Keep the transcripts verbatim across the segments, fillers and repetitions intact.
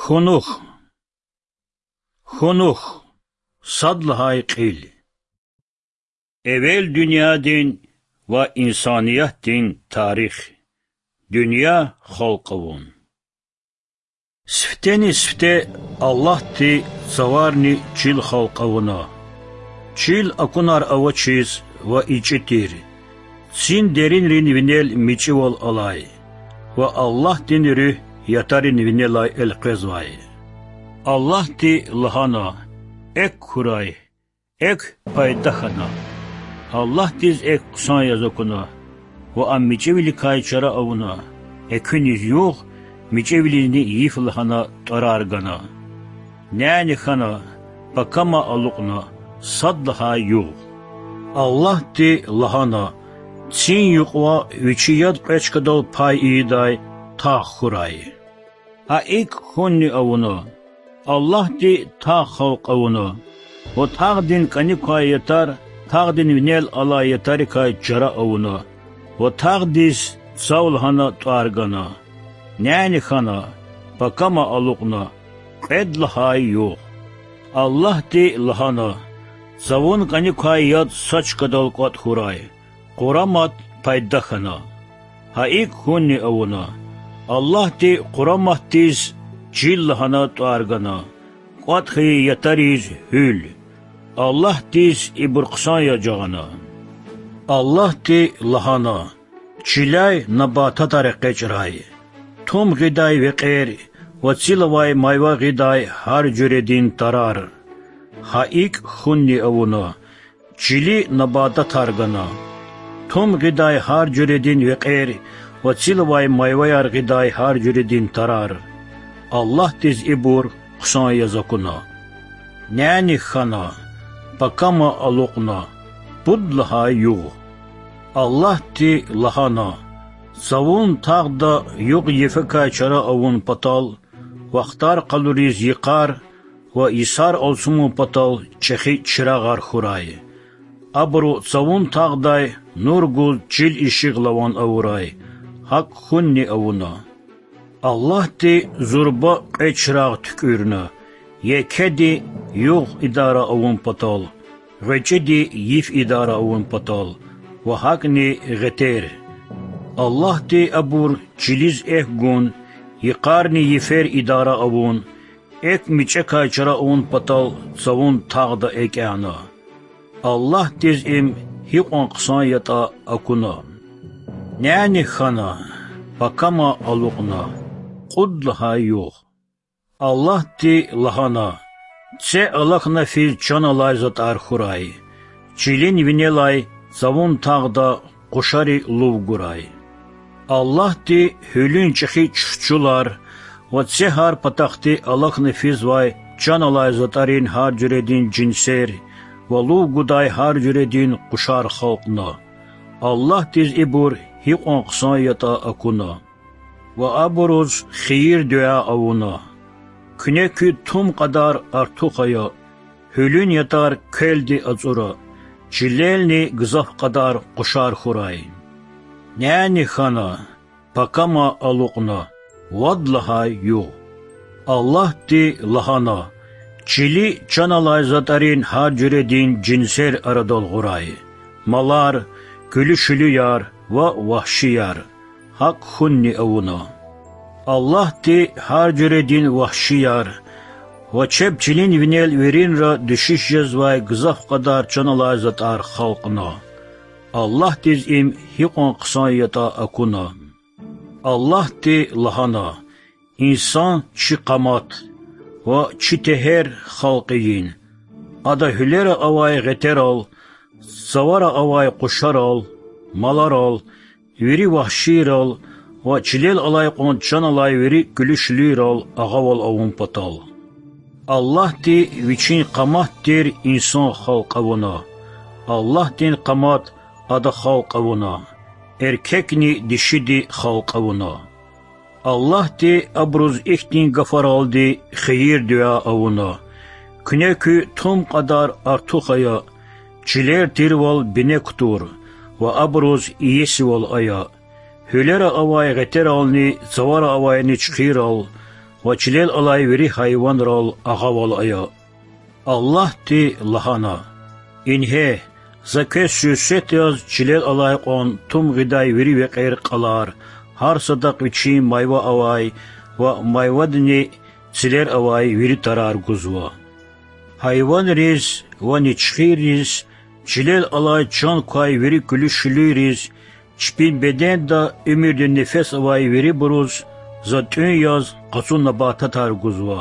Кунух. Кунух. Сад лагьай кьил. Эвел дуьньядин ва инсаниятдин тарих. Дуьнья халкь авун. Сифтени-сифте Аллагьди цаварни чил халкь авуна. Чил акунар авачиз ва ичӀи тир, цин деринрин винел мичӀивал алай ва Аллагьдин руьгь ятарин винелай элкъвезвай. Аллагьди лагьана: Экв хьурай. Экв пайда хьана. Аллагьдиз экв хъсан яз акуна ва ам мичӀивиликай чара авуна. Экуьниз югъ, мичӀивилизни йиф лагьана тӀварар гана. Няни хьана, пакама алукьна, сад лагьай югъ. Аллагьди лагьана: Цин юкьва вичи яд кьве чкадал пай ийидай тагъ хьурай. Гьа икӀ хьунни авуна. Аллагьди тагъ халкь авуна ва тагъдин кӀаник квай ятар тагъдин винел алай ятарикай чара авуна ва тагъдиз цав лагьана тӀвар гана. Няни хьана, пакама алукьна, кьвед лагьай югъ. Аллагьди лагьана: Цавун кӀаник квай яд са чкадал кӀватӀ хьурай. Къурамат пайда хьана. Гьа икӀ хьунни авуна. Аллагьди къураматдиз чил лагьана тӀвар гана, кӀватӀ хьайи ятариз гьуьл. Аллагьдиз ибур хъсан яз жагъана. Аллагьди лагьана: Чиляй набататар экъечӀрай, тум гъидай векьер ва цил авай майва гъидай гьар жуьредин тарар. Гьа икӀ хьунни авуна. Чили набататар гана, тум гъидай гьар жуьредин векьер ва цил авай майваяр гъидай гьар жуьредин тарар. Аллагьдиз ибур хъсан яз акуна. Няни хьана, пакама алукьна, пуд лагьай югъ. Аллагьди лагьана: Цавун тагъда югъ-йифекай чара авун патал, вахтар къалуриз йикъар ва йисар алцумун патал чӀехи чирагъар хьурай. Абуру цавун тагъдай нур гуз чил ишигъ лаван авурай. ГьакӀ хьунни авуна. Аллагьди зурба кьве чирагъ туькӀуьрна: екеди югъ идара авун патал, гъвечӀиди йиф идара авун патал ва гьакӀни гъетер. Аллагьди абур чилиз экв гун, йикъарни йифер идара авун, экв мичӀекай чара авун патал цавун тагъда экӀяна. Аллагьдиз им гьикьван хъсан ятӀа акуна. Няни хьана, пакама алукьна, кьуд лагьай югъ. Аллагьди лагьана: Це алахьна физ чан алай затӀар хьурай, чилин винелай цавун тагъда къушари лув гурай. Аллагьди гьуьлуьн чӀехи чуьхчулар ва це гьар патахъди алахьна физвай чан алай затӀарин гьар жуьредин жинсер ва лув гудай гьар жуьредин къушар халкьна. Аллагьдиз ибур гьикьван хъсан ятӀа акуна. Ва абуруз хийир-дуьа авуна. Куьне куьд тум кьадар артух ая, гьуьлуьн ятар квелди ацӀура, чилелни гзаф кьадар къушар хьурай. Няни хьана, пакама алукьна, вад лагьай югъ. Аллагьди лагьана: Чили чан алай затӀарин гьар жуьредин жинсер арадал гъурай: малар, куьлуь-шуьлуьяр ва вагьшияр. ГьакӀ хьунни авуна. Аллагьди гьар жуьредин вагьшияр ва чеб чилин винел виринра дуьшуьш жезвай гзаф кьадар чан алай затӀар халкьна. Аллагьдиз им гьикьван хъсан ятӀа акуна. Аллагьди лагьана: Инсан чи къамат ва чи тегьер халкь ийин. Ада гьуьлера авай гъетерал, цавара авай къушарал, маларал, вири вагьшийрал ва чилел алай кьван чан алай вири куьлуь-шуьлуьйрал агъавал авун патал. Аллагьди Вичин къамат тир инсан халкь авуна. Аллагьдин къамат Ада халкь авуна, эркекни дишиди халкь авуна. Аллагьди абуруз ихьтин гафаралди хийир-дуьа авуна: Куьне куь тум кьадар артух ая, чилер тирвал бине кутур ва абуруз иесивал ая, гьуьлера авай гъетерални цавара авай ничхирал ва чилел алай вири гьайванрал агъавал ая. Аллагьди лагьана: Ингье, За квез суьрсет яз чилел алай кьван тум гъидай вири векьер-кьалар, гьар садахъ вичин майва авай ва майвадини цилер авай вири тарар гузва. Гьайванриз ва ничхирриз, чилел алай чан квай вири куьлуь-шуьлуьйриз, чпин беденда уьмуьрдин нефес авай вирибуруз За тӀуьн яз къацу набататар гузва.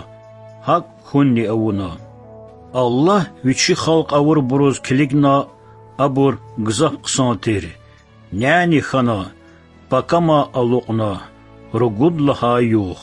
ГьакӀ хьунни авуна. Аллагь Вичи халкь авурбуруз килигна абур гзаф хъсан тир. Няни хьана, пакама алукьна, ругуд лагьай югъ.